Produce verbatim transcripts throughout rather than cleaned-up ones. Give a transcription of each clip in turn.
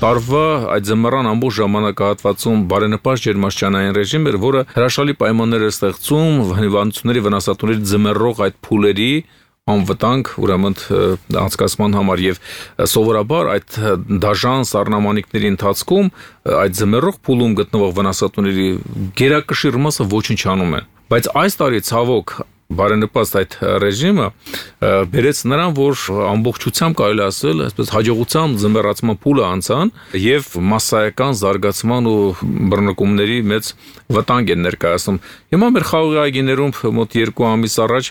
տարվա այդ ձմռան ամբողջ ժամանակահատվածում բարենպաստ ջերմաստիճանային ռեժիմ էր, որը հրաշալի պայմաններ էր ստեղծում հիվանդությունների վնասատուների ձմեռող այդ փուլերի անվտանգ ուրեմն անցկացման համար եւ սովորաբար այդ դաժան սառնամանիքների ընթացքում այդ ձմեռող փուլում գտնվող վնասատուների գերակշիռ մասը ոչնչանում են, բայց այս տարի ցավոք բարենպաստ այդ ռեժիմը բերեց նրան, որ ամբողջությամբ կարելի ասել, այսպես հաջողությամբ ձմեռացման փուլը անցան եւ մասսայական զարգացման ու բռնկումների մեծ վտանգ են ներկայացնում։ Հիմա մեր խաղողի այգիներում մոտ երկու ամիս առաջ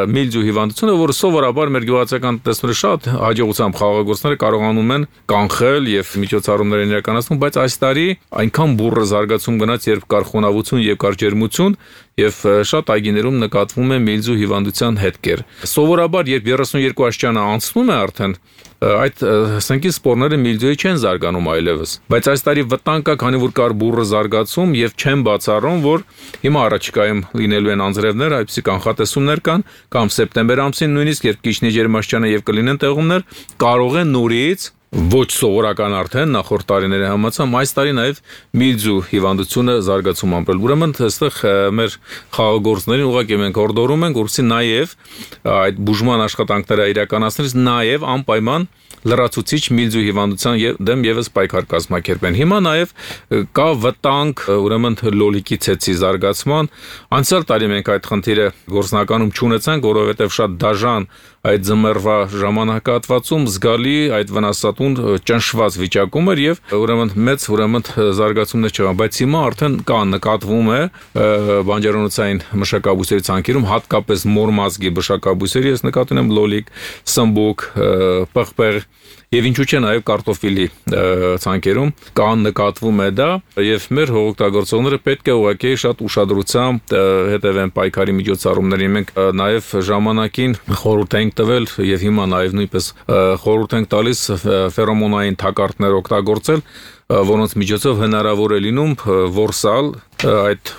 միլդիու հիվանդությունը, որը սովորաբար մեր գյուղացիական տնտեսները շատ հաջողությամբ խաղողագործները կարողանում են կանխել եւ միջոցառումներ են իրականացնում, բայց այս տարի այնքան բուռը զարգացում գնաց, երբ կար խոնավություն եւ կար ջերմություն եւ շատ այգիներում նկատվում է միլդիու հիվանդության հետքեր։ Սովորաբար, երբ երեսունյոթ աստիճանը անցնում է արդեն, այդ սնկի սպորները միլդիուի չեն զարգանում այլևս։ Բայց այս տարի վտանգ կա, քանի որ կար բուռը զարգացում եւ չեն բացառում, որ հիմա առաջիկայում լինելու են անձրևներ, այդպիսի կանխատեսումներ կան, կամ սեպտեմբեր ամսին նույնիսկ երբ կիջնի ջերմաստիճանը եւ կլինեն տեղումներ, կարող են նորից ոչ սովորական արդեն նախորդ տարիների համաձայն այս տարի նաև միլդիու հիվանդությունը զարգացում ամպել։ Ուրեմն այստեղ մեր խաղողագործներին ուղղակի մենք հորդորում ենք, որպեսզի նաև այդ բուժման աշխատանքները իրականացնելիս նաև անպայման լրացուցիչ միլդիու հիվանդության դեմ եւս պայքար կազմակերպեն։ Հիմա նաև կա վտանգ ուրեմն լոլիկի ցեցի զարգացման։ Անցյալ տարի մենք այդ խնդիրը գործնականում չունեցանք, որովհետև շատ դաժան այդ ձմեռվա ժամանակահատվածում զգալի այդ վնասատուն ճնշված վիճակում էր եւ ուրեմն մեծ ուրեմն զարգացումներ չկան, բայց հիմա արդեն կա նկատվում է բանջարոնոցային մշակաբույսերի ցանկերում, հատկապես մոր մազգի բշակաբույսերի, ես նկատի ունեմ լոլիկ, սմբուկ, պղպեղ եւ ինչու՞ չէ նաեւ կարտոֆիլի ցանկերում կան նկատվում է դա եւ մեր հողօգտագործողները պետք է ուղղակի շատ ուշադրությամբ հետևեն պայքարի միջոցառումներին։ Մենք նաեւ ժամանակին խորհուրդ ենք տվել եւ հիմա նաեւ նույնպես խորհուրդ ենք տալիս ֆերոմոնային թակարդներ օգտագործել, որոնց միջոցով հնարավոր է լինում որսալ այդ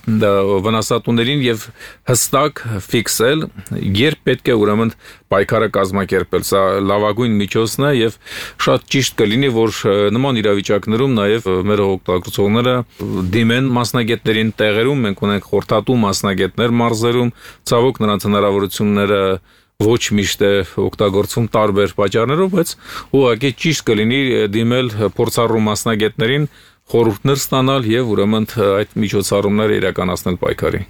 վնասատուներին եւ հստակ ֆիքսել, երբ պետք է ուրեմն պայքարը կազմակերպել։ Սա լավագույն միջոցն է եւ շատ ճիշտ կլինի, որ նման իրավիճակներում նաեւ մեր օգտագործողները դիմեն մասնագետներին տեղերում, մենք ունենք խորհրդատու մասնագետներ մարզերում, ցավոք նրանց հնարավորությունները ոչ միշտ է օգտագործվում տարբեր պատճառներով, բայց ուղղակի ճիշտ կլինի դիմել փորձառու մասնագետներին, խորհուրդներ ստանալ եւ ուրեմն այդ միջոցառումները իրականացնել պայքարի։